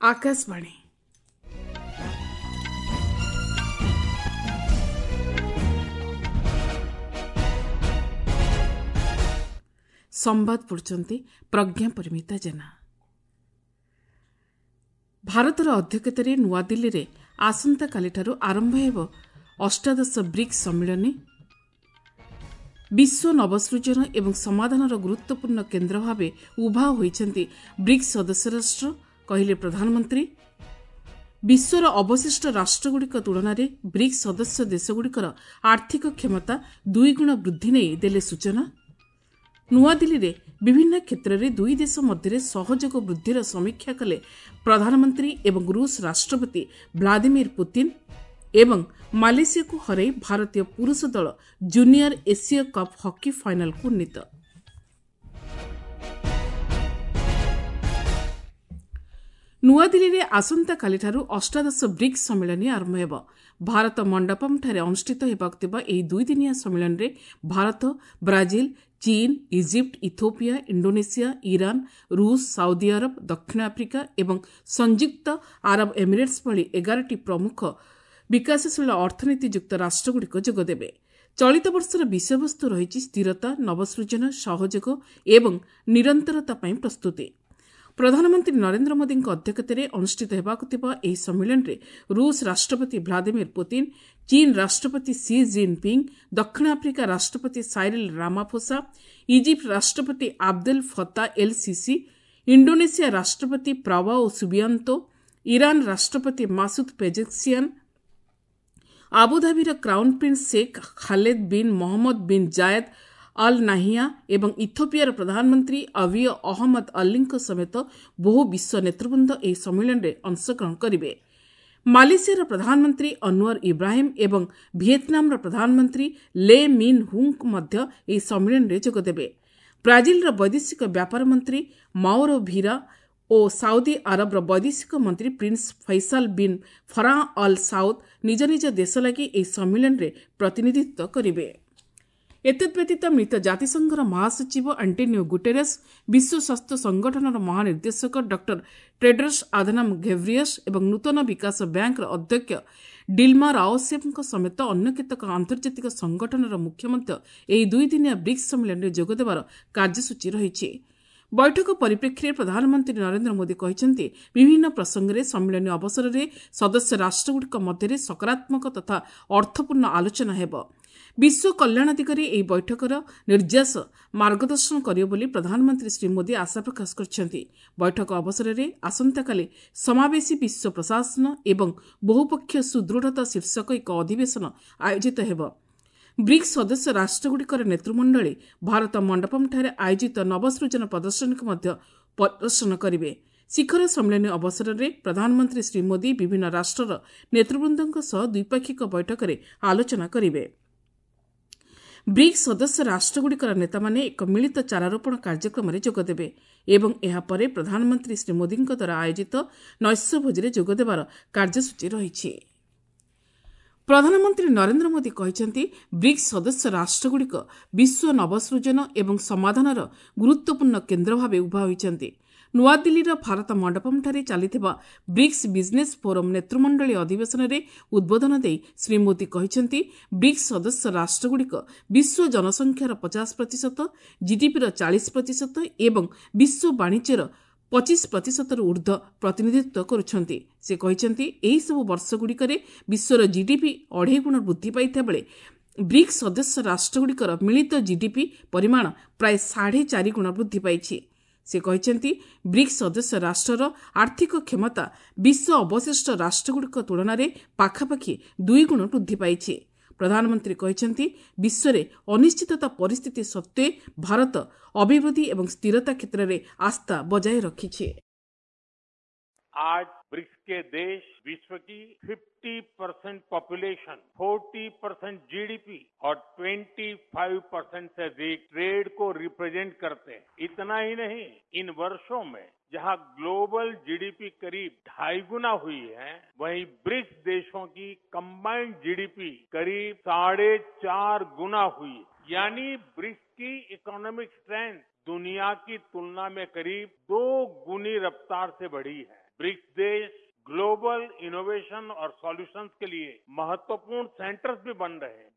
ଆକାଶବାଣୀ। ସମ୍ବାଦ ପଢ଼ୁଛନ୍ତି ପ୍ରଜ୍ଞା ପରିମିତା ଜେନା। ଭାରତର ଅଧ୍ୟକ୍ଷତାରେ ନୂଆଦିଲ୍ଲୀରେ ଆସନ୍ତାକାଲିଠାରୁ ଆରମ୍ଭ ହେବ ଅଷ୍ଟାଦଶ ବ୍ରିକ୍ସ ସମ୍ମିଳନୀ। ବିଶ୍ୱ ନବସୃଜନ ଏବଂ ସମାଧାନର ଗୁରୁତ୍ୱପୂର୍ଣ୍ଣ କେନ୍ଦ୍ର ଭାବେ ଉଭା ହୋଇଛନ୍ତି ବ୍ରିକ୍ସ ସଦସ୍ୟ ରାଷ୍ଟ୍ର, କହିଲେ ପ୍ରଧାନମନ୍ତ୍ରୀ। ବିଶ୍ୱର ଅବଶିଷ୍ଟ ରାଷ୍ଟ୍ରଗୁଡ଼ିକ ତୁଳନାରେ ବ୍ରିକ୍ସ ସଦସ୍ୟ ଦେଶଗୁଡ଼ିକର ଆର୍ଥିକ କ୍ଷମତା ଦୁଇଗୁଣ ବୃଦ୍ଧି ନେଇ ଦେଲେ ସୂଚନା। ନୂଆଦିଲ୍ଲୀରେ ବିଭିନ୍ନ କ୍ଷେତ୍ରରେ ଦୁଇ ଦେଶ ମଧ୍ୟରେ ସହଯୋଗ ବୃଦ୍ଧିର ସମୀକ୍ଷା କଲେ ପ୍ରଧାନମନ୍ତ୍ରୀ ଏବଂ ରୁଷ ରାଷ୍ଟ୍ରପତି ଭ୍ଲାଦିମିର ପୁତିନ୍। ଏବଂ ମାଲେସିଆକୁ ହରାଇ ଭାରତୀୟ ପୁରୁଷ ଦଳ ଜୁନିୟର ଏସୀୟ କପ୍ ହକି ଫାଇନାଲକୁ ଉନ୍ନୀତ। ନୂଆଦିଲ୍ଲୀରେ ଆସନ୍ତାକାଲିଠାରୁ ଅଷ୍ଟାଦଶ ବ୍ରିକ୍ସ ସମ୍ମିଳନୀ ଆରମ୍ଭ ହେବ। ଭାରତ ମଣ୍ଡପମ୍ଠାରେ ଅନୁଷ୍ଠିତ ହେବାକୁ ଥିବା ଏହି ଦୁଇଦିନିଆ ସମ୍ମିଳନୀରେ ଭାରତ, ବ୍ରାଜିଲ, ଚୀନ, ଇଜିପ୍ଟ, ଇଥୋପିଆ, ଇଣ୍ଡୋନେସିଆ, ଇରାନ, ରୁଷ, ସାଉଦି ଆରବ, ଦକ୍ଷିଣ ଆଫ୍ରିକା ଏବଂ ସଂଯୁକ୍ତ ଆରବ ଏମିରେଟ୍ସ ଭଳି 11ଟି ପ୍ରମୁଖ ବିକାଶଶୀଳ ଅର୍ଥନୀତିଯୁକ୍ତ ରାଷ୍ଟ୍ରଗୁଡ଼ିକ ଯୋଗଦେବେ। ଚଳିତ ବର୍ଷର ବିଷୟବସ୍ତୁ ରହିଛି ସ୍ଥିରତା, ନବସୃଜନ, ସହଯୋଗ ଏବଂ ନିରନ୍ତରତା ପାଇଁ ପ୍ରସ୍ତୁତି। ପ୍ରଧାନମନ୍ତ୍ରୀ ନରେନ୍ଦ୍ର ମୋଦିଙ୍କ ଅଧ୍ୟକ୍ଷତାରେ ଅନୁଷ୍ଠିତ ହେବାକୁ ଥିବା ଏହି ସମ୍ମିଳନୀରେ ରୁଷ ରାଷ୍ଟ୍ରପତି ଭ୍ଲାଦିମିର ପୁତିନ୍, ଚୀନ ରାଷ୍ଟ୍ରପତି ସି ଜିନ୍ ପିଙ୍ଗ୍, ଦକ୍ଷିଣ ଆଫ୍ରିକା ରାଷ୍ଟ୍ରପତି ସାଇରିଲ୍ ରାମାଫୋସା, ଇଜିପ୍ଟ ରାଷ୍ଟ୍ରପତି ଆବଦେଲ ଫତା ଏଲ୍ ସିସି, ଇଣ୍ଡୋନେସିଆ ରାଷ୍ଟ୍ରପତି ପ୍ରାବାଓ ସୁବିଆନ୍ତୋ, ଇରାନ ରାଷ୍ଟ୍ରପତି Masood ପେଜେସ୍କିଆନ୍, ଆବୁଧାବିର crown prince Sheikh Khaled bin Mohammed bin Zayed Al Nahyan ଏବଂ ଇଥୋପିଆର ପ୍ରଧାନମନ୍ତ୍ରୀ ଅବିୟ ଅହମ୍ମଦ ଅଲ୍ଲୀଙ୍କ ସମେତ ବହୁ ବିଶ୍ୱ ନେତୃବୃନ୍ଦ ଏହି ସମ୍ମିଳନୀରେ ଅଂଶଗ୍ରହଣ କରିବେ। ମାଲେସିଆର ପ୍ରଧାନମନ୍ତ୍ରୀ ଅନୱର ଇବ୍ରାହିମ୍ ଏବଂ ଭିଏତନାମର ପ୍ରଧାନମନ୍ତ୍ରୀ ଲେ ମିନ୍ ହୁଙ୍କ ମଧ୍ୟ ଏହି ସମ୍ମିଳନୀରେ ଯୋଗଦେବେ। ବ୍ରାଜିଲର ବୈଦେଶିକ ବ୍ୟାପାର ମନ୍ତ୍ରୀ ମାଓରୋ ଭିରା ଓ ସାଉଦି ଆରବର ବୈଦେଶିକ ମନ୍ତ୍ରୀ prince Faisal bin Farhan Al Saud ନିଜ ନିଜ ଦେଶ ଲାଗି ଏହି ସମ୍ମିଳନୀରେ ପ୍ରତିନିଧିତ୍ୱ କରିବେ। ଏତଦ୍ବ୍ୟତୀତ ମିଳିତ ଜାତିସଂଘର ମହାସଚିବ ଆଣ୍ଟୋନିଓ ଗୁଟେରସ୍, ବିଶ୍ୱ ସ୍ୱାସ୍ଥ୍ୟ ସଂଗଠନର ମହାନିର୍ଦ୍ଦେଶକ ଡକ୍ଟର ଟେଡ୍ରସ୍ ଆଧନମ୍ ଘେବ୍ରିୟସ୍ ଏବଂ ନୂତନ ବିକାଶ ବ୍ୟାଙ୍କର ଅଧ୍ୟକ୍ଷ ଡିଲ୍ମା ରାଓସେଫ୍ଙ୍କ ସମେତ ଅନ୍ୟ କେତେକ ଆନ୍ତର୍ଜାତିକ ସଂଗଠନର ମୁଖ୍ୟ ମଧ୍ୟ ଏହି ଦୁଇଦିନିଆ ବ୍ରିକ୍ସ ସମ୍ମିଳନୀରେ ଯୋଗଦେବାର କାର୍ଯ୍ୟସୂଚୀ ରହିଛି। ବୈଠକ ପରିପ୍ରେକ୍ଷୀରେ ପ୍ରଧାନମନ୍ତ୍ରୀ ନରେନ୍ଦ୍ର ମୋଦି କହିଛନ୍ତି, ବିଭିନ୍ନ ପ୍ରସଙ୍ଗରେ ସମ୍ମିଳନୀ ଅବସରରେ ସଦସ୍ୟ ରାଷ୍ଟ୍ରଗୁଡ଼ିକ ମଧ୍ୟରେ ସକାରାତ୍ମକ ତଥା ଅର୍ଥପୂର୍ଣ୍ଣ ଆଲୋଚନା ହେବ। ବିଶ୍ୱ କଲ୍ୟାଣ ଦିଗରେ ଏହି ବୈଠକର ନିର୍ଯାସ ମାର୍ଗଦର୍ଶନ କରିବ ବୋଲି ପ୍ରଧାନମନ୍ତ୍ରୀ ଶ୍ରୀ ମୋଦି ଆଶା ପ୍ରକାଶ କରିଛନ୍ତି। ବୈଠକ ଅବସରରେ ଆସନ୍ତାକାଲି ସମାବେଶୀ ବିଶ୍ୱ ପ୍ରଶାସନ ଏବଂ ବହୁପକ୍ଷୀୟ ସୁଦୃଢ଼ତା ଶୀର୍ଷକ ଏକ ଅଧିବେଶନ ଆୟୋଜିତ ହେବ। ବ୍ରିକ୍ସ ସଦସ୍ୟ ରାଷ୍ଟ୍ରଗୁଡ଼ିକର ନେତୃମଣ୍ଡଳୀ ଭାରତ ମଣ୍ଡପମ୍ଠାରେ ଆୟୋଜିତ ନବସୃଜନ ପ୍ରଦର୍ଶନୀକୁ ମଧ୍ୟ ପରିଦର୍ଶନ କରିବେ। ଶିଖର ସମ୍ମିଳନୀ ଅବସରରେ ପ୍ରଧାନମନ୍ତ୍ରୀ ଶ୍ରୀ ମୋଦି ବିଭିନ୍ନ ରାଷ୍ଟ୍ରର ନେତୃବୃନ୍ଦଙ୍କ ସହ ଦ୍ୱିପାକ୍ଷିକ ବୈଠକରେ ଆଲୋଚନା କରିବେ। ବ୍ରିକ୍ସ ସଦସ୍ୟ ରାଷ୍ଟ୍ରଗୁଡ଼ିକର ନେତାମାନେ ଏକ ମିଳିତ ଚାରାରୋପଣ କାର୍ଯ୍ୟକ୍ରମରେ ଯୋଗଦେବେ ଏବଂ ଏହାପରେ ପ୍ରଧାନମନ୍ତ୍ରୀ ଶ୍ରୀ ମୋଦିଙ୍କ ଦ୍ୱାରା ଆୟୋଜିତ ନୈଶ୍ୟ ଭୋଜିରେ ଯୋଗଦେବାର କାର୍ଯ୍ୟସୂଚୀ ରହିଛି। ପ୍ରଧାନମନ୍ତ୍ରୀ ନରେନ୍ଦ୍ର ମୋଦି କହିଛନ୍ତି, ବ୍ରିକ୍ସ ସଦସ୍ୟ ରାଷ୍ଟ୍ରଗୁଡ଼ିକ ବିଶ୍ୱ ନବସୃଜନ ଏବଂ ସମାଧାନର ଗୁରୁତ୍ୱପୂର୍ଣ୍ଣ କେନ୍ଦ୍ର ଭାବେ ଉଭା ହୋଇଛନ୍ତି। ନୂଆଦିଲ୍ଲୀର ଭାରତ ମଣ୍ଡପମ୍ଠାରେ ଚାଲିଥିବା ବ୍ରିକ୍ସ ବିଜ୍ନେସ୍ ଫୋରମ୍ ନେତୃମଣ୍ଡଳୀ ଅଧିବେଶନରେ ଉଦ୍ବୋଧନ ଦେଇ ଶ୍ରୀ ମୋଦି କହିଛନ୍ତି, ବ୍ରିକ୍ସ ସଦସ୍ୟ ରାଷ୍ଟ୍ରଗୁଡ଼ିକ ବିଶ୍ୱ ଜନସଂଖ୍ୟାର 50%, ଜିଡିପିର 40% ଏବଂ ବିଶ୍ୱ ବାଣିଜ୍ୟର 25%ରୁ ଊର୍ଦ୍ଧ୍ୱ ପ୍ରତିନିଧିତ୍ୱ କରୁଛନ୍ତି। ସେ କହିଛନ୍ତି, ଏହିସବୁ ବର୍ଷଗୁଡ଼ିକରେ ବିଶ୍ୱର ଜିଡିପି ଅଢ଼େଇ ଗୁଣ ବୃଦ୍ଧି ପାଇଥିବା ବେଳେ ବ୍ରିକ୍ସ ସଦସ୍ୟ ରାଷ୍ଟ୍ରଗୁଡ଼ିକର ମିଳିତ ଜିଡିପି ପରିମାଣ ପ୍ରାୟ 4.5 ଗୁଣ ବୃଦ୍ଧି ପାଇଛି। ସେ କହିଛନ୍ତି, ବ୍ରିକ୍ସ ସଦସ୍ୟ ରାଷ୍ଟ୍ରର ଆର୍ଥିକ କ୍ଷମତା ବିଶ୍ୱ ଅବଶିଷ୍ଟ ରାଷ୍ଟ୍ରଗୁଡ଼ିକ ତୁଳନାରେ ପାଖାପାଖି ଦୁଇଗୁଣ ବୃଦ୍ଧି ପାଇଛି। ପ୍ରଧାନମନ୍ତ୍ରୀ କହିଛନ୍ତି, ବିଶ୍ୱରେ ଅନିଶ୍ଚିତତା ପରିସ୍ଥିତି ସତ୍ତ୍ୱେ ଭାରତ ଅଭିବୃଦ୍ଧି ଏବଂ ସ୍ଥିରତା କ୍ଷେତ୍ରରେ ଆସ୍ଥା ବଜାୟ ରଖିଛି। आज ब्रिक्स के देश विश्व की 50% पॉपुलेशन, 40% जीडीपी और 25% से अधिक ट्रेड को रिप्रेजेंट करते हैं। इतना ही नहीं, इन वर्षों में जहां ग्लोबल जीडीपी करीब 2.5 गुना हुई है, वहीं ब्रिक्स देशों की कंबाइंड जीडीपी करीब 4.5 गुना हुई। यानी ब्रिक्स की इकोनॉमिक स्ट्रेंथ दुनिया की तुलना में करीब 2 गुनी रफ्तार से बढ़ी है। ब्रिक्स देश ग्लोबल इनोवेशन और सॉल्यूशंस के लिए महत्वपूर्ण सेंटर्स भी बन रहे हैं।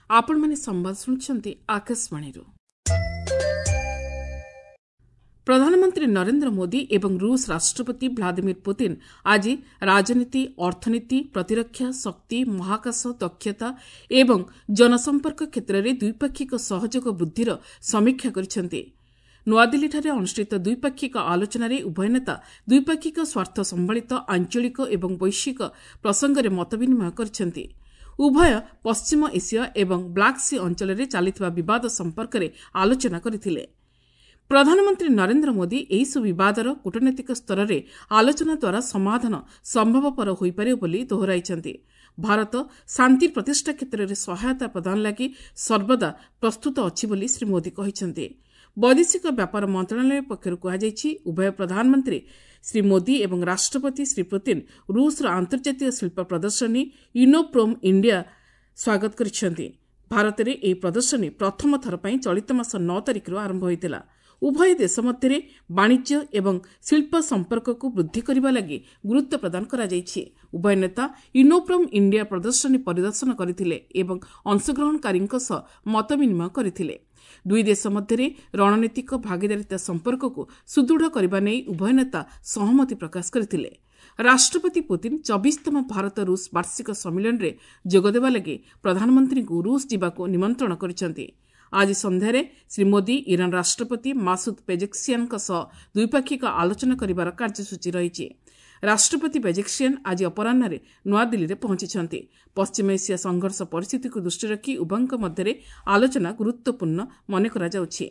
ଆପଣମାନେ ସମ୍ବାଦ ଶୁଣୁଛନ୍ତି ଆକାଶବାଣୀରୁ। ପ୍ରଧାନମନ୍ତ୍ରୀ ନରେନ୍ଦ୍ର ମୋଦି ଏବଂ ରୁଷ ରାଷ୍ଟ୍ରପତି ଭ୍ଲାଦିମିର ପୁତିନ୍ ଆଜି ରାଜନୀତି, ଅର୍ଥନୀତି, ପ୍ରତିରକ୍ଷା, ଶକ୍ତି, ମହାକାଶ, ଦକ୍ଷତା ଏବଂ ଜନସମ୍ପର୍କ କ୍ଷେତ୍ରରେ ଦ୍ୱିପାକ୍ଷିକ ସହଯୋଗ ବୃଦ୍ଧିର ସମୀକ୍ଷା କରିଛନ୍ତି। ନୂଆଦିଲ୍ଲୀଠାରେ ଅନୁଷ୍ଠିତ ଦ୍ୱିପାକ୍ଷିକ ଆଲୋଚନାରେ ଉଭୟ ନେତା ଦ୍ୱିପାକ୍ଷିକ ସ୍ୱାର୍ଥ ସମ୍ବଳିତ ଆଞ୍ଚଳିକ ଏବଂ ବୈଶ୍ୱିକ ପ୍ରସଙ୍ଗରେ ମତବିନିମୟ କରିଛନ୍ତି। ଉଭୟ ପଶ୍ଚିମ ଏସିଆ ଏବଂ ବ୍ଲାକ୍ ସି ଅଞ୍ଚଳରେ ଚାଲିଥିବା ବିବାଦ ସମ୍ପର୍କରେ ଆଲୋଚନା କରିଥିଲେ। ପ୍ରଧାନମନ୍ତ୍ରୀ ନରେନ୍ଦ୍ର ମୋଦି ଏହିସବୁ ବିବାଦର କୂଟନୈତିକ ସ୍ତରରେ ଆଲୋଚନା ଦ୍ୱାରା ସମାଧାନ ସମ୍ଭବପର ହୋଇପାରିବ ବୋଲି ଦୋହରାଇଛନ୍ତି। ଭାରତ ଶାନ୍ତି ପ୍ରତିଷ୍ଠା କ୍ଷେତ୍ରରେ ସହାୟତା ପ୍ରଦାନ ଲାଗି ସର୍ବଦା ପ୍ରସ୍ତୁତ ଅଛି ବୋଲି ଶ୍ରୀ ମୋଦି କହିଛନ୍ତି। ବୈଦେଶିକ ବ୍ୟାପାର ମନ୍ତ୍ରଣାଳୟ ପକ୍ଷରୁ କୁହାଯାଇଛି, ଉଭୟ ପ୍ରଧାନମନ୍ତ୍ରୀ ଶ୍ରୀ ମୋଦି ଏବଂ ରାଷ୍ଟ୍ରପତି ଶ୍ରୀ ପୁତିନ୍ ରୁଷର ଆନ୍ତର୍ଜାତୀୟ ଶିଳ୍ପ ପ୍ରଦର୍ଶନୀ ଇନୋପ୍ରୋମ୍ ଇଣ୍ଡିଆ ସ୍ୱାଗତ କରିଛନ୍ତି। ଭାରତରେ ଏହି ପ୍ରଦର୍ଶନୀ ପ୍ରଥମ ଥର ପାଇଁ ଚଳିତ ମାସ 9 ତାରିଖରୁ ଆରମ୍ଭ ହୋଇଥିଲା। ଉଭୟ ଦେଶ ମଧ୍ୟରେ ବାଣିଜ୍ୟ ଏବଂ ଶିଳ୍ପ ସମ୍ପର୍କକୁ ବୃଦ୍ଧି କରିବା ଲାଗି ଗୁରୁତ୍ୱ ପ୍ରଦାନ କରାଯାଇଛି। ଉଭୟ ନେତା ଇନୋପ୍ରୋମ୍ ଇଣ୍ଡିଆ ପ୍ରଦର୍ଶନୀ ପରିଦର୍ଶନ କରିଥିଲେ ଏବଂ ଅଂଶଗ୍ରହଣକାରୀଙ୍କ ସହ ମତ ବିନିମୟ କରିଥିଲେ। ଦୁଇ ଦେଶ ମଧ୍ୟରେ ରଣନୀତିକ ଭାଗିଦାରିତା ସମ୍ପର୍କକୁ ସୁଦୃଢ଼ କରିବା ନେଇ ଉଭୟ ନେତା ସହମତି ପ୍ରକାଶ କରିଥିଲେ। ରାଷ୍ଟ୍ରପତି ପୁତିନ୍ 24ତମ ଭାରତ ରୁଷ ବାର୍ଷିକ ସମ୍ମିଳନୀରେ ଯୋଗଦେବା ଲାଗି ପ୍ରଧାନମନ୍ତ୍ରୀଙ୍କୁ ରୁଷ ଯିବାକୁ ନିମନ୍ତ୍ରଣ କରିଛନ୍ତି। ଆଜି ସନ୍ଧ୍ୟାରେ ଶ୍ରୀ ମୋଦି ଇରାନ୍ ରାଷ୍ଟ୍ରପତି ମାସୁଦ ପେଜେକ୍ସିଆନଙ୍କ ସହ ଦ୍ୱିପାକ୍ଷିକ ଆଲୋଚନା କରିବାର କାର୍ଯ୍ୟସୂଚୀ ରହିଛି। ରାଷ୍ଟ୍ରପତି ପେଜେକ୍ସିଆନ୍ ଆଜି ଅପରାହ୍ନରେ ନୂଆଦିଲ୍ଲୀରେ ପହଞ୍ଚିଛନ୍ତି। ପଶ୍ଚିମ ଏସିଆ ସଂଘର୍ଷ ପରିସ୍ଥିତିକୁ ଦୃଷ୍ଟିରେ ରଖି ଉଭୟଙ୍କ ମଧ୍ୟରେ ଆଲୋଚନା ଗୁରୁତ୍ୱପୂର୍ଣ୍ଣ ମନେ କରାଯାଉଛି।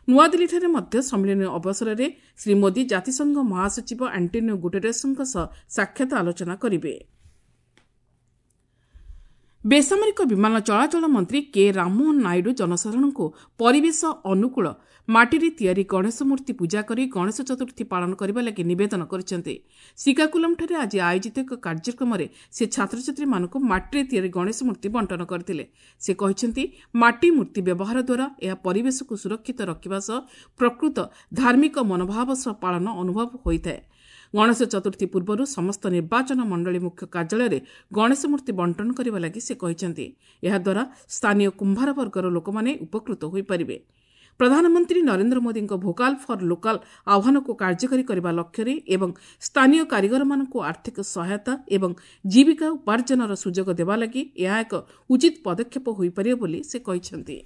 ନୂଆଦିଲ୍ଲୀଠାରେ ମଧ୍ୟ ସମ୍ମିଳନୀ ଅବସରରେ ଶ୍ରୀ ମୋଦି ଜାତିସଂଘ ମହାସଚିବ ଆଣ୍ଟୋନିଓ ଗୁଟେରେସଙ୍କ ସହ ସାକ୍ଷାତ ଆଲୋଚନା କରିବେ। ବେସାମରିକ ବିମାନ ଚଳାଚଳ ମନ୍ତ୍ରୀ କେ ରାମମୋହନ ନାଇଡୁ ଜନସାଧାରଣଙ୍କୁ ପରିବେଶ ଅନୁକୂଳ ମାଟିରେ ତିଆରି ଗଣେଶ ମୂର୍ତ୍ତି ପୂଜା କରି ଗଣେଶ ଚତୁର୍ଥୀ ପାଳନ କରିବା ଲାଗି ନିବେଦନ କରିଛନ୍ତି। ଶ୍ରୀକାକୁଲମଠାରେ ଆଜି ଆୟୋଜିତ ଏକ କାର୍ଯ୍ୟକ୍ରମରେ ସେ ଛାତ୍ରଛାତ୍ରୀମାନଙ୍କୁ ମାଟିରେ ତିଆରି ଗଣେଶ ମୂର୍ତ୍ତି ବଣ୍ଟନ କରିଥିଲେ। ସେ କହିଛନ୍ତି, ମାଟି ମୂର୍ତ୍ତି ବ୍ୟବହାର ଦ୍ୱାରା ଏହା ପରିବେଶକୁ ସୁରକ୍ଷିତ ରଖିବା ସହ ପ୍ରକୃତ ଧାର୍ମିକ ମନୋଭାବ ସହ ପାଳନ ଅନୁଭବ ହୋଇଥାଏ। ଗଣେଶ ଚତୁର୍ଥୀ ପୂର୍ବରୁ ସମସ୍ତ ନିର୍ବାଚନ ମଣ୍ଡଳୀ ମୁଖ୍ୟ କାର୍ଯ୍ୟାଳୟରେ ଗଣେଶ ମୂର୍ତ୍ତି ବଣ୍ଟନ କରିବା ଲାଗି ସେ କହିଛନ୍ତି। ଏହାଦ୍ୱାରା ସ୍ଥାନୀୟ କୁମ୍ଭାର ବର୍ଗର ଲୋକମାନେ ଉପକୃତ ହୋଇପାରିବେ। ପ୍ରଧାନମନ୍ତ୍ରୀ ନରେନ୍ଦ୍ର ମୋଦିଙ୍କ ଭୋକାଲ୍ ଫର୍ ଲୋକାଲ୍ ଆହ୍ୱାନକୁ କାର୍ଯ୍ୟକାରୀ କରିବା ଲକ୍ଷ୍ୟରେ ଏବଂ ସ୍ଥାନୀୟ କାରିଗରମାନଙ୍କୁ ଆର୍ଥିକ ସହାୟତା ଏବଂ ଜୀବିକା ଉପାର୍ଜନର ସୁଯୋଗ ଦେବା ଲାଗି ଏହା ଏକ ଉଚିତ ପଦକ୍ଷେପ ହୋଇପାରିବ ବୋଲି ସେ କହିଛନ୍ତି।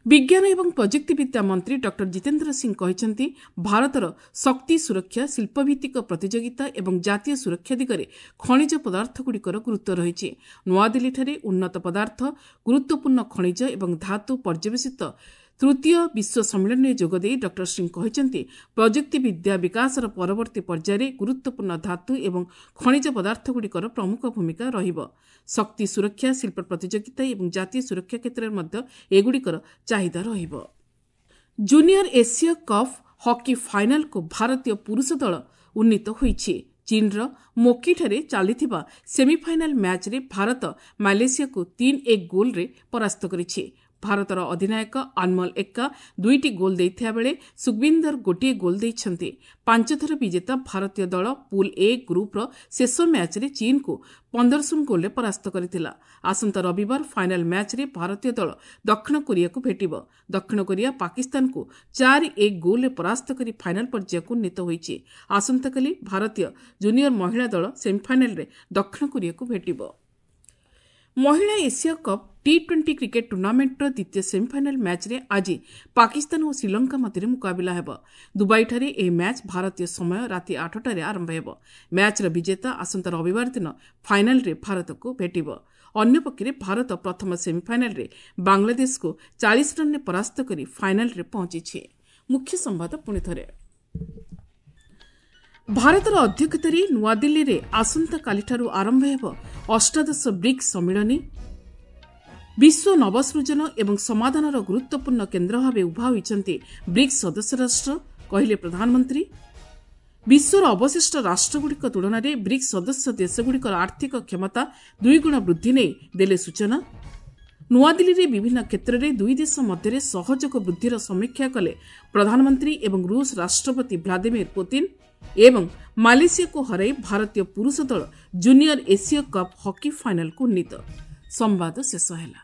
ବିଜ୍ଞାନ ଏବଂ ପ୍ରଯୁକ୍ତିବିଦ୍ୟା ମନ୍ତ୍ରୀ ଡକ୍ଟର ଜିତେନ୍ଦ୍ର ସିଂ କହିଛନ୍ତି, ଭାରତର ଶକ୍ତି ସୁରକ୍ଷା, ଶିଳ୍ପଭିତ୍ତିକ ପ୍ରତିଯୋଗିତା ଏବଂ ଜାତୀୟ ସୁରକ୍ଷା ଦିଗରେ ଖଣିଜ ପଦାର୍ଥଗୁଡ଼ିକର ଗୁରୁତ୍ୱ ରହିଛି। ନୂଆଦିଲ୍ଲୀଠାରେ ଉନ୍ନତ ପଦାର୍ଥ, ଗୁରୁତ୍ୱପୂର୍ଣ୍ଣ ଖଣିଜ ଏବଂ ଧାତୁ ପର୍ଯ୍ୟବେସିତ ତୃତୀୟ ବିଶ୍ୱ ସମ୍ମିଳନୀରେ ଯୋଗଦେଇ ଡକ୍ଟର ସିଂ କହିଛନ୍ତି, ପ୍ରଯୁକ୍ତିବିଦ୍ୟା ବିକାଶର ପରବର୍ତ୍ତୀ ପର୍ଯ୍ୟାୟରେ ଗୁରୁତ୍ୱପୂର୍ଣ୍ଣ ଧାତୁ ଏବଂ ଖଣିଜ ପଦାର୍ଥଗୁଡ଼ିକର ପ୍ରମୁଖ ଭୂମିକା ରହିବ। ଶକ୍ତି ସୁରକ୍ଷା, ଶିଳ୍ପ ପ୍ରତିଯୋଗିତା ଏବଂ ଜାତୀୟ ସୁରକ୍ଷା କ୍ଷେତ୍ରରେ ମଧ୍ୟ ଏଗୁଡ଼ିକର ଚାହିଦା ରହିବ। ଜୁନିୟର ଏସୀୟ କପ୍ ହକି ଫାଇନାଲକୁ ଭାରତୀୟ ପୁରୁଷ ଦଳ ଉନ୍ନୀତ ହୋଇଛି। ଚୀନ୍ର ମୋକିଠାରେ ଚାଲିଥିବା ସେମିଫାଇନାଲ ମ୍ୟାଚ୍ରେ ଭାରତ ମାଲେସିଆକୁ 3-1 ଗୋଲ୍ରେ ପରାସ୍ତ କରିଛି। ଭାରତର ଅଧିନାୟକ ଅନମୋଲ ଏକ୍କା 2ଟି ଗୋଲ୍ ଦେଇଥିବା ବେଳେ ସୁଖବିନ୍ଦର 1 ଗୋଲ୍ ଦେଇଛନ୍ତି। 5 ଥର ବିଜେତା ଭାରତୀୟ ଦଳ ପୁଲ୍ ଏ ଗ୍ରୁପ୍ର ଶେଷ ମ୍ୟାଚ୍ରେ ଚୀନ୍କୁ 15-0 ଗୋଲ୍ରେ ପରାସ୍ତ କରିଥିଲା। ଆସନ୍ତା ରବିବାର ଫାଇନାଲ ମ୍ୟାଚ୍ରେ ଭାରତୀୟ ଦଳ ଦକ୍ଷିଣ କୋରିଆକୁ ଭେଟିବ। ଦକ୍ଷିଣ କୋରିଆ ପାକିସ୍ତାନକୁ 4-1 ଗୋଲ୍ରେ ପରାସ୍ତ କରି ଫାଇନାଲ ପର୍ଯ୍ୟାୟକୁ ଉନ୍ନୀତ ହୋଇଛି। ଆସନ୍ତାକାଲି ଭାରତୀୟ ଜୁନିୟର ମହିଳା ଦଳ ସେମିଫାଇନାଲରେ ଦକ୍ଷିଣ କୋରିଆକୁ ଭେଟିବ। ମହିଳା ଏସିଆ କପ୍ ଟି-20 କ୍ରିକେଟ୍ ଟୁର୍ଣ୍ଣାମେଣ୍ଟର ଦ୍ୱିତୀୟ ସେମିଫାଇନାଲ ମ୍ୟାଚ୍ରେ ଆଜି ପାକିସ୍ତାନ ଓ ଶ୍ରୀଲଙ୍କା ମଧ୍ୟରେ ମୁକାବିଲା ହେବ। ଦୁବାଇଠାରେ ଏହି ମ୍ୟାଚ୍ ଭାରତୀୟ ସମୟ ରାତି 8ଟାରେ ଆରମ୍ଭ ହେବ। ମ୍ୟାଚ୍ର ବିଜେତା ଆସନ୍ତା ରବିବାର ଦିନ ଫାଇନାଲରେ ଭାରତକୁ ଭେଟିବ। ଅନ୍ୟପକ୍ଷରେ ଭାରତ ପ୍ରଥମ ସେମିଫାଇନାଲରେ ବାଂଲାଦେଶକୁ 40 ରନ୍ରେ ପରାସ୍ତ କରି ଫାଇନାଲରେ ପହଞ୍ଚିଛି। ମୁଖ୍ୟ ସମ୍ବାଦ ପୁଣିଥରେ। ଭାରତର ଅଧ୍ୟକ୍ଷତାରେ ନୂଆଦିଲ୍ଲୀରେ ଆସନ୍ତାକାଲିଠାରୁ ଆରମ୍ଭ ହେବ ଅଷ୍ଟାଦଶ ବ୍ରିକ୍ସ ସମ୍ମିଳନୀ। ବିଶ୍ୱ ନବସୃଜନ ଏବଂ ସମାଧାନର ଗୁରୁତ୍ୱପୂର୍ଣ୍ଣ କେନ୍ଦ୍ର ଭାବେ ଉଭା ହୋଇଛନ୍ତି ବ୍ରିକ୍ସ ସଦସ୍ୟ ରାଷ୍ଟ୍ର, କହିଲେ ପ୍ରଧାନମନ୍ତ୍ରୀ। ବିଶ୍ୱର ଅବଶିଷ୍ଟ ରାଷ୍ଟ୍ରଗୁଡ଼ିକ ତୁଳନାରେ ବ୍ରିକ୍ସ ସଦସ୍ୟ ଦେଶଗୁଡ଼ିକର ଆର୍ଥିକ କ୍ଷମତା 2 ଗୁଣ ବୃଦ୍ଧି ନେଇ ଦେଲେ ସୂଚନା। ନୂଆଦିଲ୍ଲୀରେ ବିଭିନ୍ନ କ୍ଷେତ୍ରରେ ଦୁଇ ଦେଶ ମଧ୍ୟରେ ସହଯୋଗ ବୃଦ୍ଧିର ସମୀକ୍ଷା କଲେ ପ୍ରଧାନମନ୍ତ୍ରୀ ଏବଂ ରୁଷ ରାଷ୍ଟ୍ରପତି ଭ୍ଲାଦିମିର ପୁତିନ। ଏବଂ ମାଲେସିଆକୁ ହରାଇ ଭାରତୀୟ ପୁରୁଷ ଦଳ ଜୁନିୟର ଏସୀୟ କପ୍ ହକି ଫାଇନାଲକୁ ଉନ୍ନୀତ। ସମ୍ବାଦ ଶେଷ ହେଲା।